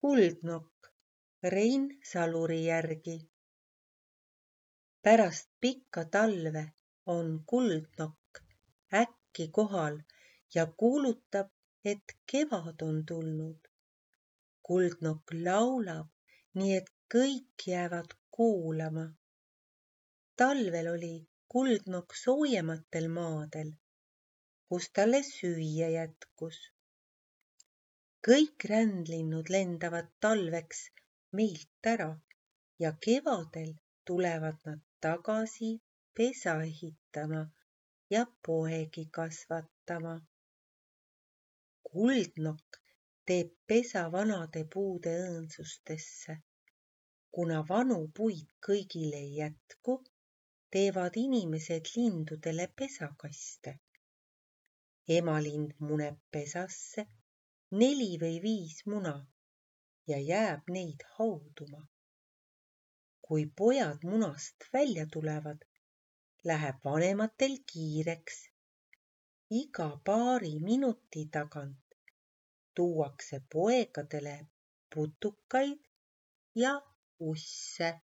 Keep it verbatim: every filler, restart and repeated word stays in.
Kuldnokk Rein Saluri järgi. Pärast pikka talve on kuldnokk äkki kohal ja kuulutab, et kevad on tulnud. Kuldnokk laulab, nii et kõik jäävad kuulama. Talvel oli kuldnokk soojematel maadel, kus talle süüa jätkus. Kõik rändlinnud lendavad talveks meilt ära ja kevadel tulevad nad tagasi pesa ehitama ja poegi kasvatama. Kuldnokk teeb pesa vanade puude õõnsustesse. Kuna vanu puid kõigil ei jätku, teevad inimesed lindudele pesakaste. Emalind muneb pesasse neli või viis muna ja jääb neid hauduma. Kui pojad munast välja tulevad, läheb vanematel kiireks. Iga paari minuti tagant tuuakse poegadele putukaid ja usse.